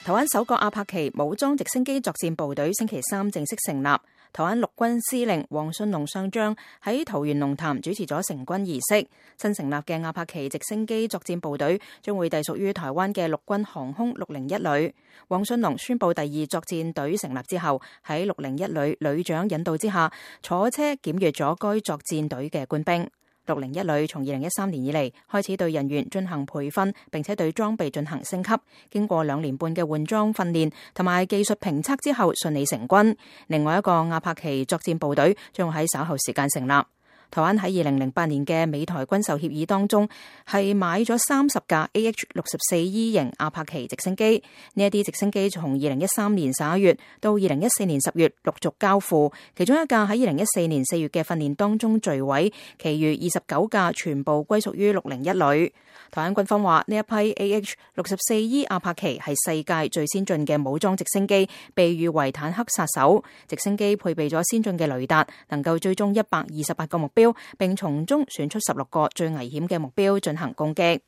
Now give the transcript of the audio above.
台灣首個阿帕奇武裝直升機作戰部隊星期三正式成立，台灣陸軍司令黃信龍上將喺桃園龍潭主持咗成軍儀式。新成立嘅阿帕奇直升機作戰部隊將會隸屬於台灣嘅陸軍航空601旅。黃信龍宣布第二作戰隊成立之後，喺601旅旅長引導之下，坐車檢閱咗該作戰隊嘅官兵。601旅從2013年以嚟開始對人員進行培訓，並且對裝備進行升級。經過2年半嘅換裝訓練同埋技術評測之後，順利成軍。另外一個阿帕奇作戰部隊將喺稍後時間成立。台灣喺2008年嘅美台軍售協議當中，係買咗30架 AH-64E 型阿帕奇直升機。呢一啲直升機從2013年11月到2014年10月陸續交付，其中一架喺2014年4月嘅訓練當中墜毀，其餘29架全部歸屬於601旅。台灣軍方話呢一批 AH-64E 阿帕奇係世界最先進嘅武裝直升機，被譽為坦克殺手。直升機配備咗先進嘅雷達，能夠追蹤128個目標，並從中選出16個最危險嘅目標進行攻擊。